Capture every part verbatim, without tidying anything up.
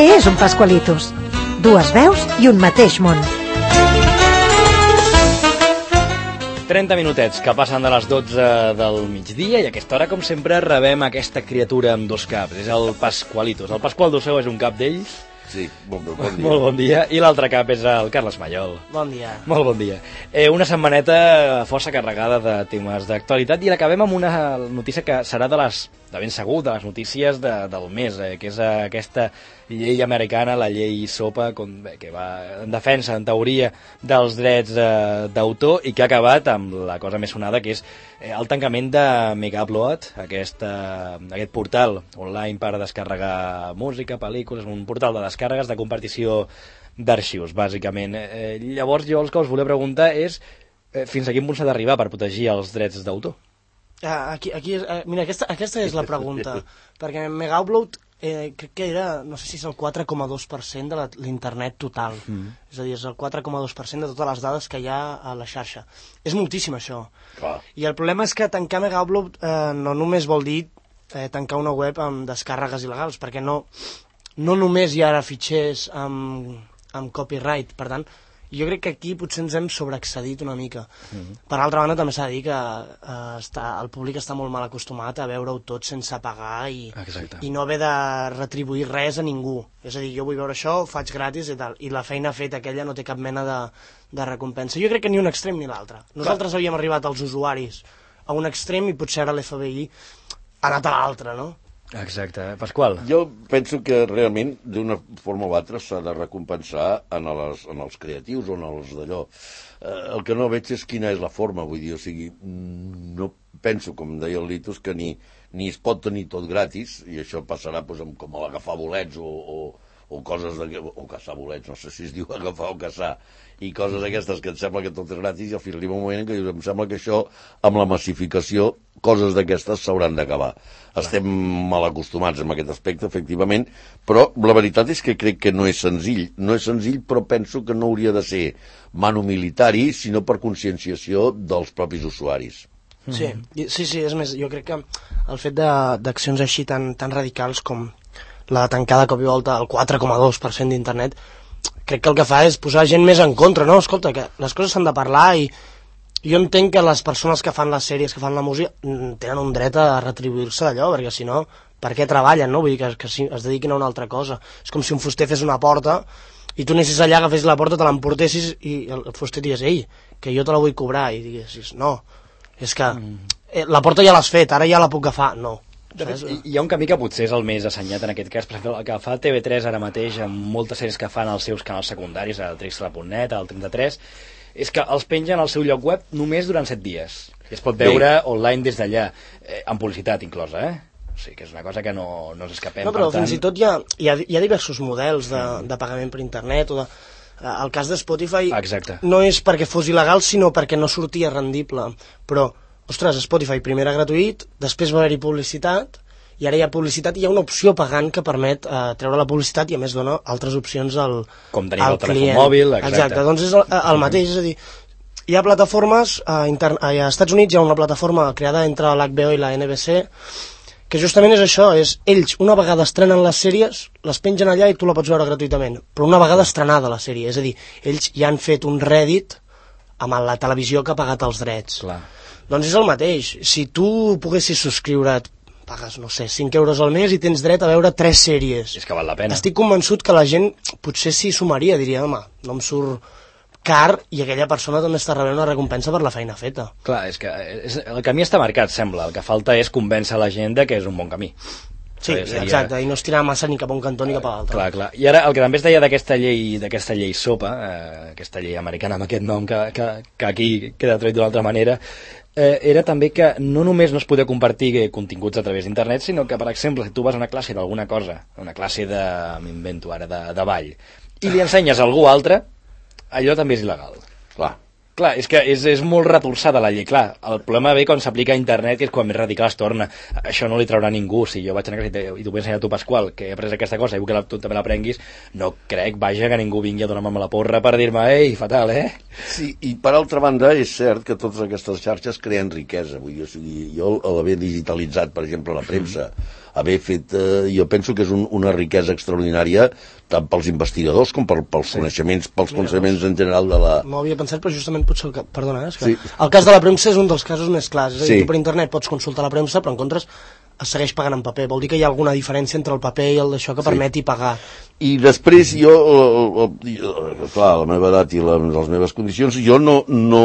Què és un Pascualitos? Dues veus i un mateix món. trenta minutets que passen de les dotze del migdia i a aquesta hora, com sempre, rebem aquesta criatura amb dos caps. És el Pascualitos. El Pasqual Doceu és un cap d'ells. Sí, bon, bon dia. Molt bon dia. I l'altre cap és el Carles Mallol. Bon dia. Molt bon dia. Eh, una setmaneta força carregada de temes d'actualitat i l'acabem amb una notícia que serà de les, de ben segur, de les notícies de, del mes, eh, que és aquesta llei americana, la llei SOPA, com, bé, que va en defensa, en teoria, dels drets eh, d'autor i que ha acabat amb la cosa més sonada, que és eh, el tancament de Megaupload, aquesta, aquest portal online per descarregar música, pel·lícules, un portal de descàrregues, de compartició d'arxius, bàsicament. Eh, llavors, jo el que us volia preguntar és eh, fins a quin punt s'ha d'arribar per protegir els drets d'autor? Ah, aquí, aquí és, eh, mira, aquesta, aquesta és la pregunta, perquè Megaupload eh, crec que era, no sé si és el quatre coma dos per cent de l'internet total, mm. és a dir, és el quatre coma dos per cent de totes les dades que hi ha a la xarxa. És moltíssim, això. Clar. I el problema és que tancar Megaupload eh, no només vol dir eh, tancar una web amb descàrregues il·legals, perquè no, no només hi ha ara fitxers amb, amb copyright, per tant, jo crec que aquí potser ens hem sobreexcedit una mica. Mm-hmm. Per altra banda, també s'ha de dir que eh, està, el públic està molt mal acostumat a veure-ho tot sense pagar i, i no haver de retribuir res a ningú. És a dir, jo vull veure això, ho faig gratis i tal, i la feina feta aquella no té cap mena de, de recompensa. Jo crec que ni un extrem ni l'altre. Nosaltres Clar. havíem arribat als usuaris a un extrem i potser ara l'F B I ha anat a l'altre, no? Exacte. Pasqual? Jo penso que realment d'una forma o altra s'ha de recompensar en, les, en els creatius o en els d'allò. Eh, el que no veig és quina és la forma, vull dir, o sigui, no penso, com deia el Litos, que ni, ni es pot tenir tot gratis, i això passarà doncs, amb, com agafar bolets o, o, o coses de, o caçar bolets, no sé si es diu agafar o caçar, i coses d'aquestes que et sembla que tot és gratis, i al final arriba un moment en què em sembla que això, amb la massificació, coses d'aquestes s'hauran d'acabar. Estem mal acostumats en aquest aspecte, efectivament, però la veritat és que crec que no és senzill. No és senzill, però penso que no hauria de ser manu militari, sinó per conscienciació dels propis usuaris. Sí, sí, sí, és més, jo crec que el fet d'accions així tan, tan radicals com la de tancar de cop i volta el quatre coma dos per cent d'internet, crec que el que fa és posar gent més en contra, no? Escolta, que les coses s'han de parlar i jo entenc que les persones que fan les sèries, que fan la música, tenen un dret a retribuir-se d'allò, perquè si no, per què treballen, no? Vull dir que, que es dediquin a una altra cosa. És com si un fuster fes una porta i tu anessis allà, agafessis la porta, te l'emportessis i el fuster digués, ei, que jo te la vull cobrar, i diguessis, no, és que eh, la porta ja l'has fet, ara ja la puc agafar, no. Hi ha un camí que potser és el més assenyat en aquest cas, per exemple, el que fa T V tres ara mateix amb moltes sèries que fan als seus canals secundaris, al Trixla punt net, al trenta-tres, és que els pengen al seu lloc web només durant set dies. I es pot veure Bé. online des d'allà, eh, amb publicitat inclosa, eh? O sigui que és una cosa que no, no ens escapem. No, però per tant... fins i tot hi ha, hi ha, hi ha diversos models de, de pagament per internet, o de... El cas de Spotify Exacte. no és perquè fos il·legal, sinó perquè no sortia rendible. Però, ostres, Spotify primer era gratuït, després va haver-hi publicitat, i ara hi ha publicitat i hi ha una opció pagant que permet eh, treure la publicitat i a més dona altres opcions al client. Com tenir el telèfon mòbil, exacte. Exacte, doncs és el, el mateix, és a dir, hi ha plataformes, a, intern, a Estats Units hi ha una plataforma creada entre l'H B O i la N B C que justament és això, és ells una vegada estrenen les sèries, les pengen allà i tu la pots veure gratuïtament, però una vegada estrenada la sèrie, és a dir, ells ja han fet un Reddit amb la televisió que ha pagat els drets. Clar. Doncs és el mateix, si tu poguessis subscriure't, pagues, no sé, cinc euros al mes i tens dret a veure tres sèries. És que val la pena. Estic convençut que la gent potser s'hi sumaria, diria, home, no em surt car i aquella persona també està rebent una recompensa per la feina feta. Clar, és que és, el camí està marcat, sembla. El que falta és convèncer la gent de que és un bon camí. Sí, seria... exacte, i no estirar massa ni cap a un cantó ni cap a l'altre. Clar, clar. I ara el que també es deia d'aquesta llei, d'aquesta llei SOPA, eh, aquesta llei americana amb aquest nom que, que, que aquí queda traduït d'una altra manera, eh, era també que no només no es podia compartir continguts a través d'internet, sinó que, per exemple, si tu vas a una classe d'alguna cosa, una classe de, m'invento ara, de, de ball, i li ensenyes a algú altre, allò també és il·legal. Clar. Clar, és que és, és molt retorçada la llei. Clar, el problema ve quan s'aplica a internet, que és quan més radical es torna. Això no li traurà ningú. Si jo vaig a una classe i t'ho vull ensenyar a tu, Pasqual, que he après aquesta cosa i vull que la, tu també l'aprenguis, no crec, vaja, que ningú vingui a donar-me la porra per dir-me, ei, fatal, eh? Sí, i per altra banda és cert que totes aquestes xarxes creen riquesa. Vull dir, o sigui, jo, a l'haver digitalitzat, per exemple, la premsa, haver fet... Eh, jo penso que és un, una riquesa extraordinària tant pels investigadors com per, pels sí. coneixements, pels Mira, coneixements en general de la... No ho havia pensat, però justament potser... El, perdona, és que sí. el cas de la premsa és un dels casos més clars. És a dir, sí. tu per internet pots consultar la premsa, però en contres es segueix pagant en paper. Vol dir que hi ha alguna diferència entre el paper i el d'això que sí. permeti pagar. I després jo, clar, la meva edat i la, les meves condicions, jo no, no...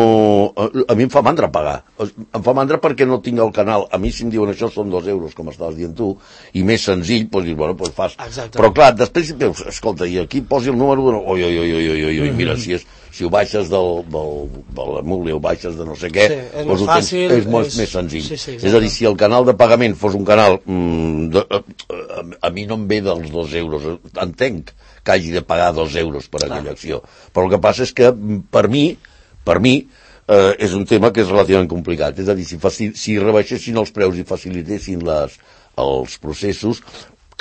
A mi em fa mandra pagar. Em fa mandra perquè no tinc el canal. A mi si em diuen això són dos euros, com estaves dient tu, i més senzill, doncs dius, bueno, doncs fas. Exacte. Però clar, després, escolta, i aquí posi el número, oi, oi, oi, oi, oi, oi, mira, si és... si ho baixes del, del, de la muli o baixes de no sé què, sí, és, doncs més fàcil, és molt és... més senzill. Sí, sí, és a dir, si el canal de pagament fos un canal... Mm, de, a, a mi no em ve dels dos euros. Entenc que hagi de pagar dos euros per aquella Clar. acció. Però el que passa és que, per mi, per mi, eh, és un tema que és relativament complicat. És a dir, si, faci, si rebaixessin els preus i facilitessin les, els processos,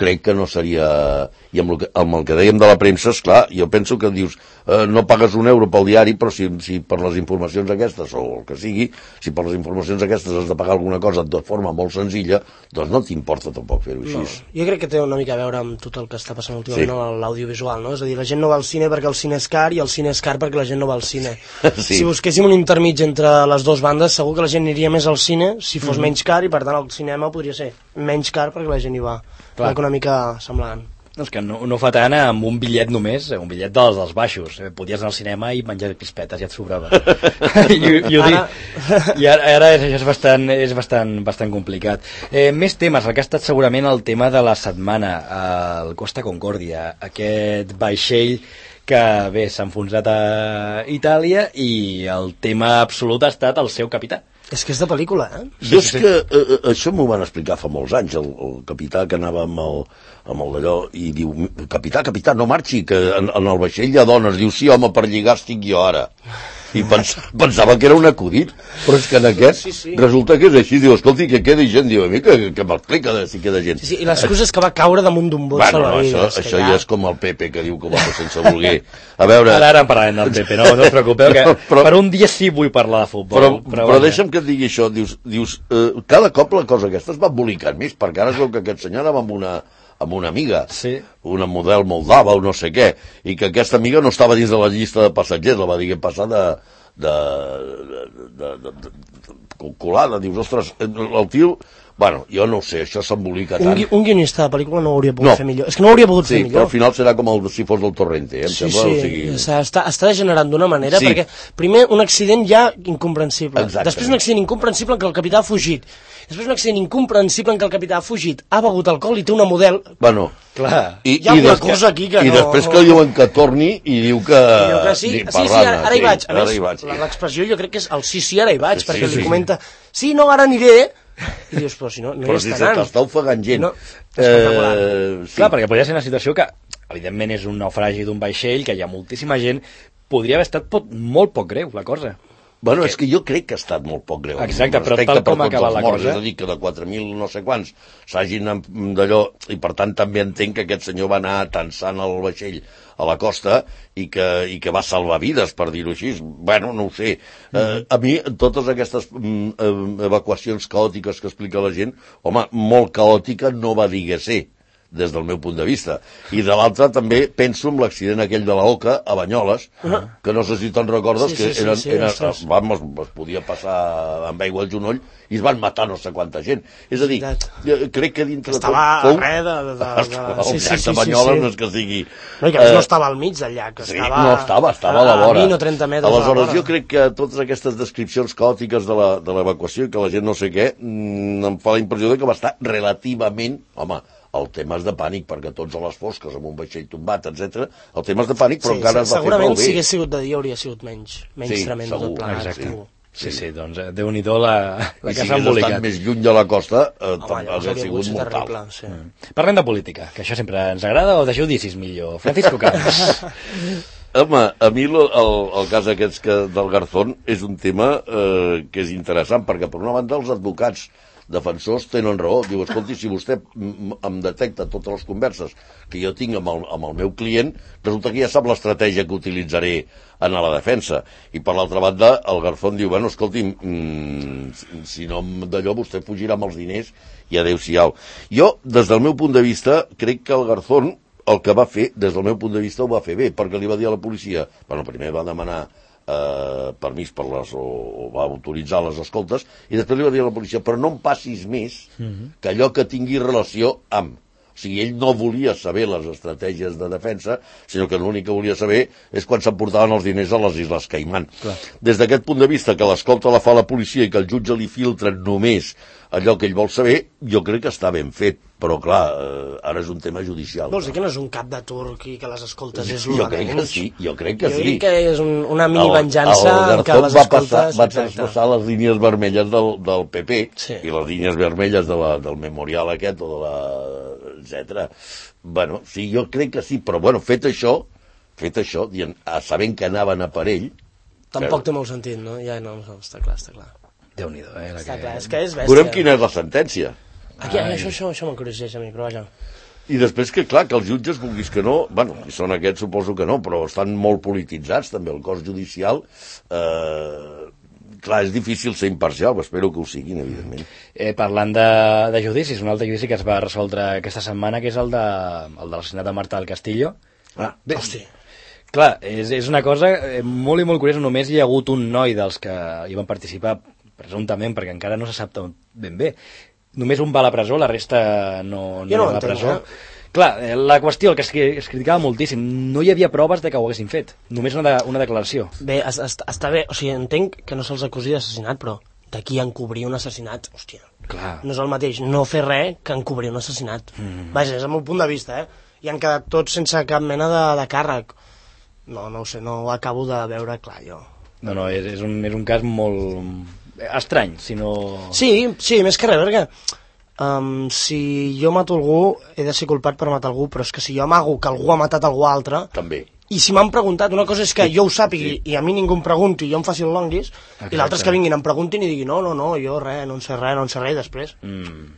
crec que no seria... I amb el que, amb el que dèiem de la premsa, esclar, jo penso que dius, eh, no pagues un euro pel diari, però si, si per les informacions aquestes, o el que sigui, si per les informacions aquestes has de pagar alguna cosa de forma molt senzilla, doncs no t'importa tampoc fer-ho així. No, jo crec que té una mica a veure amb tot el que està passant últimament sí. amb l'audiovisual, no? És a dir, la gent no va al cine perquè el cine és car i el cine és car perquè la gent no va al cine. Sí. Si busquéssim un intermig entre les dues bandes, segur que la gent aniria més al cine si fos mm-hmm. menys car i per tant el cinema podria ser menys car perquè la gent hi va. Clar. Una mica semblant. No, és que no, no fa tant amb un bitllet només, un bitllet dels, dels baixos. Podies anar al cinema i menjar crispetes, ja et sobrava. I, i, ho ara... dic, i ara, ara és, és, bastant, és bastant, bastant complicat. Eh, més temes, el que ha estat segurament el tema de la setmana, el Costa Concordia, aquest vaixell que bé, s'ha enfonsat a Itàlia i el tema absolut ha estat el seu capità. És que és de pel·lícula, eh? Jo és que eh, això m'ho van explicar fa molts anys, el, el capità que anava amb el, amb el d'allò i diu, capità, capità, no marxi, que en, en el vaixell hi ha dones. Diu, sí, home, per lligar estic jo ara. I pensava, pensava que era un acudit, però és que en aquest sí, sí. resulta que és així. Diu, escolti, que queda gent. Diu, a mi que, que m'explica si queda gent. Sí, sí, i l'excusa és que va caure damunt d'un bot bueno, salvavides. No, això, això ja... ja és com el Pepe, que diu que va sense voler. A veure... Ara, ara en parlarem del Pepe, no, no us preocupeu, que però, per un dia sí vull parlar de futbol. Però, però, però deixa'm que et digui això. Dius, dius eh, cada cop la cosa aquesta es va embolicant més, perquè ara es veu que aquest senyor anava amb una... amb una amiga, sí. una model moldava o no sé què, i que aquesta amiga no estava dins de la llista de passatgers, la va dir que passar de, de, de, de, de, de colada, dius, ostres, el tio, bueno, jo no ho sé, això s'embolica tant. Un, un guionista de pel·lícula no ho hauria pogut no. fer millor, és que no ho hauria pogut sí, fer millor. Però al final serà com el, si fos del Torrente, eh, em sí, sembla, sí, o sigui... està, està degenerant d'una manera, sí. perquè primer un accident ja incomprensible, Exactament. després un accident incomprensible en què el capità ha fugit, després un accident incomprensible en què el capità ha fugit, ha begut alcohol i té una model... Bueno, clar, i, hi ha una cosa aquí que i no... I després que diuen que torni i diu que... I diu que sí, sí, sí, ara, ara hi vaig. A sí, més, l'expressió jo crec que és el sí, sí, ara hi vaig, perquè sí, li sí. comenta, sí, no, ara aniré... I dius, però si no, no però hi si està anant. Però si t'està ofegant gent. No, eh, sí. Clar, perquè podria ser una situació que, evidentment, és un naufragi d'un vaixell, que hi ha moltíssima gent, podria haver estat pot, molt poc greu, la cosa. Bueno, és que jo crec que ha estat molt poc greu. Exacte, però tal com ha acabat la cosa... És a dir, que de quatre mil no sé quants s'hagin d'allò... I per tant també entenc que aquest senyor va anar tensant el vaixell a la costa i que, i que va salvar vides, per dir-ho així. Bueno, no ho sé. Mm. Eh, a mi, totes aquestes mm, evacuacions caòtiques que explica la gent, home, molt caòtica no va dir que ser, des del meu punt de vista. I de l'altre també penso en l'accident aquell de la Oca a Banyoles, uh-huh. que no sé si te'n recordes, sí, que sí, eren, sí, sí, eren, vamos, es podia passar amb aigua al genoll i es van matar no sé quanta gent. És a dir, crec que dintre estava tot... Estava a res de... de, de, de... El sí, llac sí, de Banyoles sí, sí. no és que sigui... No, i que eh... no estava al mig del llac, sí, estava... No estava, estava a la vora. A vint o trenta metres Aleshores, a la vora. Jo crec que totes aquestes descripcions caòtiques de l'evacuació i que la gent no sé què, mm, em fa la impressió de que va estar relativament... Home, el tema és de pànic, perquè tots a les fosques, amb un vaixell tombat, etcètera, el tema és de pànic, però sí, encara es va fer prou bé. Segurament, si hagués sigut de dia, hauria sigut menys, menys sí, tremendo segur, tot plegat. Exacte. Sí, sí, sí, doncs Déu-n'hi-do la, la que s'ha embolicat. I si hagués estat més lluny de la costa, eh, hauria sigut mortal. Terrible, sí. mm. Parlem de política, que això sempre ens agrada, o deixeu dir si és millor. Francisco Camps. Home, a mi el, el, el cas aquest que, del Garzón és un tema eh, que és interessant, perquè per una banda els advocats defensors tenen raó. Diu, escolti, si vostè em detecta totes les converses que jo tinc amb el, amb el meu client, resulta que ja sap l'estratègia que utilitzaré en la defensa. I per l'altra banda, el Garzón diu, bueno, escolti, mmm, si no d'allò vostè fugirà amb els diners i adéu-siau. Jo, des del meu punt de vista, crec que el Garzón el que va fer, des del meu punt de vista, ho va fer bé, perquè li va dir a la policia, bueno, primer va demanar eh, permís per les, o, o va autoritzar les escoltes, i després li va dir a la policia, però no em passis més que allò que tingui relació amb. O sigui, ell no volia saber les estratègies de defensa, sinó que l'únic que volia saber és quan s'emportaven els diners a les Isles Caimán. Clar. Des d'aquest punt de vista, que l'escolta la fa la policia i que el jutge li filtra només allò que ell vol saber, jo crec que està ben fet, però clar, eh, ara és un tema judicial. Vols dir que no és un cap de turc i que les escoltes és jo crec que sí, jo crec que jo sí. Jo crec que és un, una mini venjança el, el que les va escoltes... passar, va traspassar les línies vermelles del, del P P sí. i les línies vermelles de la, del memorial aquest o de la... etcètera. Bueno, sí, jo crec que sí, però bueno, fet això, fet això, dient, sabent que anaven a per ell... Tampoc té molt sentit, no? Ja no, està clar, està clar. Déu-n'hi-do, eh? Està que... clar, és que és bèstia. Veurem quina és la sentència. Aquí, ah, això, això, això m'encorregeix a mi, però vaja. I després que, clar, que els jutges, vulguis que no, bueno, si són aquests suposo que no, però estan molt polititzats, també, el cos judicial. Eh, clar, és difícil ser imparcial, espero que ho siguin, evidentment. Eh, parlant de, de judicis, un altre judici que es va resoldre aquesta setmana, que és el de, el de l'assassinat de Marta del Castillo. Ah, bé, hosti. Clar, és, és una cosa molt i molt curiosa, només hi ha hagut un noi dels que hi van participar, presumptament, perquè encara no se sap ben bé. Només un va a la presó, la resta no, no, no va a la entenc, presó. Eh? Clar, la qüestió, el que es, es criticava moltíssim, no hi havia proves de que ho haguessin fet, només una, de, una declaració. Bé, es, es, està bé, o sigui, entenc que no se'ls acusi d'assassinat, però d'aquí a encobrir un assassinat, hòstia, Clar. no és el mateix no fer res que encobrir un assassinat. Mm. Vaja, és el meu punt de vista, eh? I han quedat tots sense cap mena de, de càrrec. No, no ho sé, no ho acabo de veure clar, jo. No, no, és, és, un, és un cas molt estrany, si no... Sí, sí, més que res, perquè um, si jo mato algú, he de ser culpat per matar algú, però és que si jo amago que algú ha matat algú altre... També. I si m'han preguntat, una cosa és que jo ho sàpigui sí. i a mi ningú em pregunti i jo em faci el longuis, Exacte. I l'altre és que vinguin, em preguntin i diguin no, no, no, jo res, no en sé res, no en sé res, i després... Mm.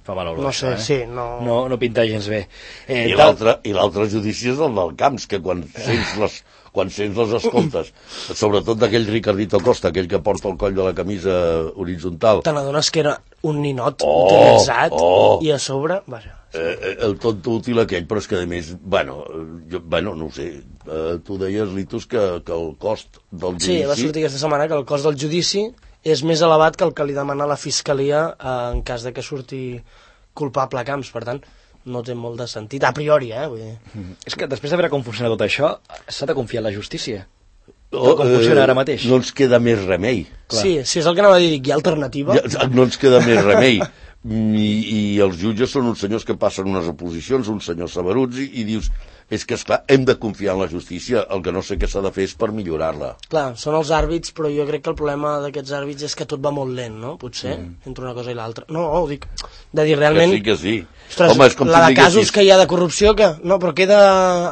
Fa mal olor, no això, sé, eh? sí, no... No, no pinta gens bé. Eh, I l'altre judici és el del Camps, que quan sents les, quan sents les escoltes, sobretot d'aquell Ricardito Costa, aquell que porta el coll de la camisa horitzontal... Te n'adones que era un ninot oh, utilitzat oh. i a sobre... Vaja, sí. eh, el tonto útil aquell, però és que a més, bueno, jo, bueno no ho sé, eh, tu deies, Litus, que, que el cost del judici... Sí, va sortir aquesta setmana que el cost del judici és més elevat que el que li demana la Fiscalia eh, en cas de que surti culpable a Camps, per tant, no té molt de sentit, a priori, eh? Vull dir. Mm. És que després de veure com funciona tot això, s'ha de confiar en la justícia. Oh, com funciona ara mateix. No ens queda més remei. Clar. Sí, sí, és el que anava a dir, hi ha alternativa. Ja, no ens queda més remei. I, I els jutges són uns senyors que passen unes oposicions, uns senyors saberuts, i, i dius, és que, esclar, hem de confiar en la justícia, el que no sé què s'ha de fer és per millorar-la. Clar, són els àrbits, però jo crec que el problema d'aquests àrbits és que tot va molt lent, no? Potser, mm. entre una cosa i l'altra. No, ho dic, de dir realment... Que sí, que sí. Ostres, home, és com la de casos que hi ha de corrupció, que no, però queda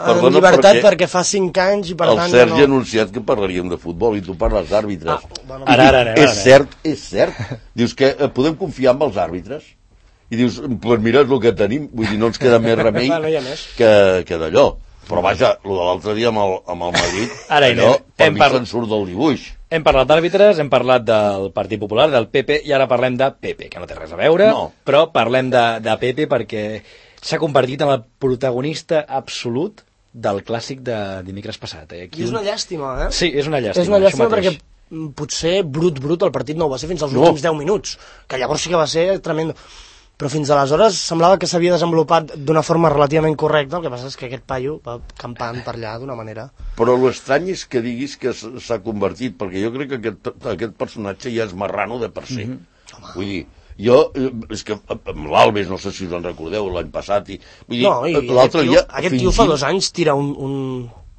Perdona, en llibertat perquè, perquè fa cinc anys i per el tant... El Sergi no... ha anunciat que parlaríem de futbol i tu parles d'àrbitres. Ah, bueno, ara, ara, ara, ara, és cert, és cert. Dius que eh, podem confiar en els àrbitres? I dius, pues mira, és el que tenim, vull dir, no ens queda més remei no més. que, que d'allò. Però vaja, el de l'altre dia amb el, amb el Madrid, ara allò, per mi par... se'n surt del dibuix. Hem parlat d'àrbitres, hem parlat del Partit Popular, del P P, i ara parlem de P P, que no té res a veure, no. però parlem de, de P P perquè s'ha convertit en el protagonista absolut del clàssic de dimecres passat. Eh? Aquí... I és una llàstima, eh? Sí, és una llàstima. És una llàstima perquè potser brut, brut, el partit no ho va ser fins als no. últims deu minuts, que llavors sí que va ser tremendo. Però fins aleshores semblava que s'havia desenvolupat d'una forma relativament correcta, el que passa és que aquest paio va campant per allà d'una manera... Però l'estrany és que diguis que s'ha convertit, perquè jo crec que aquest, aquest personatge ja és marrano de per si. Mm-hmm. Vull dir, jo, és que amb l'Alves, no sé si us en recordeu, l'any passat, i, vull dir, no, i l'altre dia... Aquest tio fa dos anys tira un... un...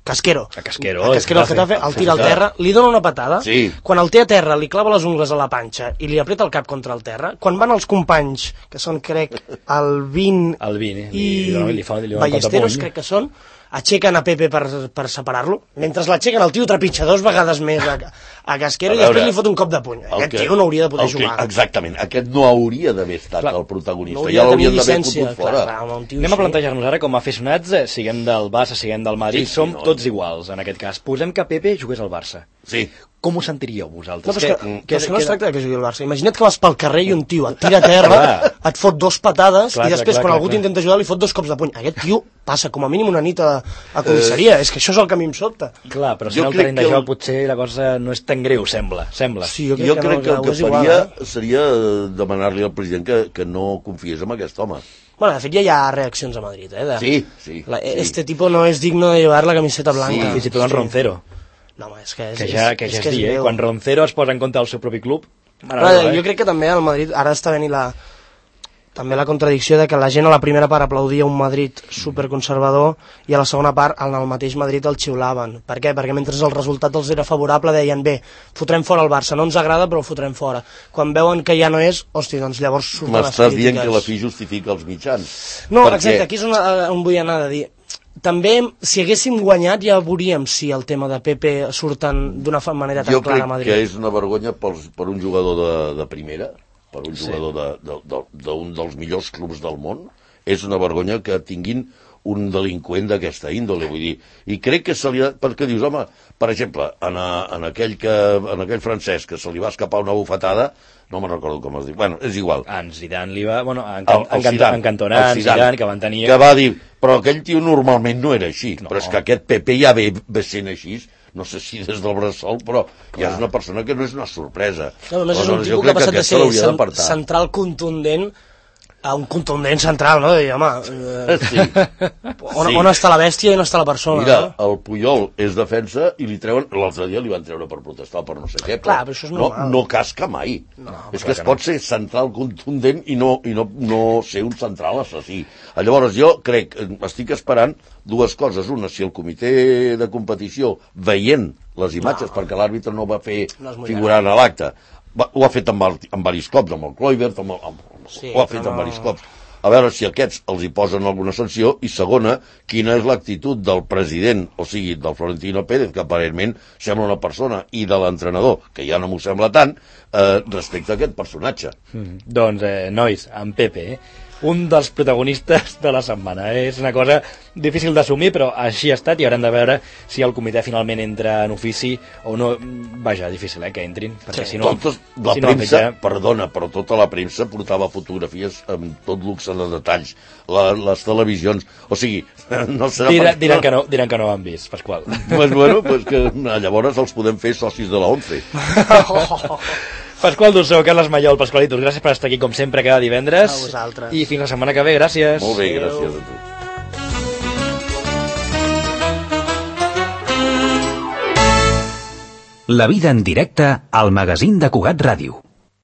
Casquero. A Casquero. A Casquero el Getafe, el tira al terra, li dona una patada, sí. Quan el té a terra li clava les ungles a la panxa i li apreta el cap contra el terra, quan van els companys, que són, crec, el vint el vint, i li, li, li fa, li Ballesteros, crec que són, aixequen a Pepe per, per separar-lo, mentre l'aixequen el tio trepitja dos vegades més a, a Casquero a i després li fot un cop de puny. Aquest que, tio no hauria de poder jugar. Que, exactament, aquest no hauria d'haver estat clar, el protagonista, no ja l'haurien d'haver fotut fora. Clar, clar, anem a plantejar-nos ara com a aficionats, eh, siguem del Barça, siguem del Madrid, sí, sí, som no, tots no. iguals en aquest cas. Posem que Pepe jugués al Barça. Sí. Com us sentiríeu vosaltres? No, però que, que, que, que no es tracta que jugui al Barça. Imagina't que vas pel carrer i un tio et tira a terra, et fot dos patades clar, i després clar, quan clar, algú t'intenta ajudar li fot dos cops de puny. Aquest tio passa com a mínim una nit a, a comissaria. Eh... És que això és el que a mi em sobta. Clar, però si no el terreny de joc el... potser la cosa no és tan greu, sembla. sembla. Sí, jo crec, jo que, crec no, que el que, que faria igual, eh? seria demanar-li al president que, que no confiés en aquest home. Bueno, de fet ja hi ha reaccions a Madrid, eh? De... Sí, sí, la, sí. Este tipo no es digno de llevar la camiseta blanca. Sí, fins i tot en Roncero. No, home, és que, és, que ja, que ja és, és, és dir, eh? Quan Roncero es posa en compte del seu propi club... Però, eh? Jo crec que també al Madrid ara està venint la, també la contradicció de que la gent a la primera part aplaudia un Madrid superconservador i a la segona part en el mateix Madrid el xiulaven. Per què? Perquè mentre el resultat els era favorable deien bé, fotrem fora el Barça, no ens agrada però el fotrem fora. Quan veuen que ja no és, hosti, doncs llavors surten les crítiques. M'estàs dient que la fi justifica els mitjans. No, perquè... exacte, aquí és on, on vull anar a dir. També, si haguéssim guanyat, ja veuríem si el tema de Pepe surten d'una manera tan jo clara a Madrid. Jo crec que és una vergonya per, per un jugador de, de primera, per un jugador sí. d'un de, de, de dels millors clubs del món, és una vergonya que tinguin un delinqüent d'aquesta índole, vull dir. I crec que se li ha... Perquè dius, home, per exemple, en, a, en, aquell que, en aquell francès que se li va escapar una bufetada, no me'n recordo com es diu, bueno, és igual. En Zidane li va... Bueno, en, el, el en, Zidane, en Cantona, en Zidane, Zidane, que van tenir... Que va dir, però aquell tio normalment no era així, no. Però és que aquest Pepe ja ve, ve sent així, no sé si des del bressol, però clar. Ja és una persona que no és una sorpresa. No, només és un tipus que ha passat de ser cent, central contundent a un contundent central, no? De dir, home, eh, sí. on, sí. on està la bèstia i on està la persona? Mira, no? El Puyol és defensa i li treuen, l'altre dia li van treure per protestar per no sé què, però, clar, però això és no, no casca mai. No, és que es que pot no. ser central contundent i no, i no, no ser un central assassí. Llavors jo crec, estic esperant dues coses. Una, si el comitè de competició, veient les imatges, no. perquè l'àrbitre no va fer no figurar a l'acte, ho ha fet amb, el, amb varis cops, amb el Kluivert, amb el, amb, sí, ho ha fet amb no... varis cops. A veure si aquests els hi posen alguna sanció, i segona, quina és l'actitud del president, o sigui, del Florentino Pérez, que aparentment sembla una persona, i de l'entrenador, que ja no m'ho sembla tant, eh, respecte a aquest personatge. Mm, doncs, eh, nois, en Pepe, eh? un dels protagonistes de la setmana. És una cosa difícil d'assumir, però així ha estat i haurem de veure si el comitè finalment entra en ofici o no. Vaja, difícil, eh, que entrin, perquè sí, si no... Totes, la si premsa, no, perdona, però tota la premsa portava fotografies amb tot luxe de detalls, la, les televisions, o sigui, no serà... Dira, per... diran, que no, diran que no ho han vist, Pasqual. Pues bueno, pues que llavors els podem fer socis de la ONCE. Pasqual Dussó, Carles Mallol, Pasqualitos, gràcies per estar aquí com sempre cada divendres. A vosaltres. I fins la setmana que ve, gràcies. Molt bé, gràcies a tu. La vida en directe al magazín de Cugat Ràdio.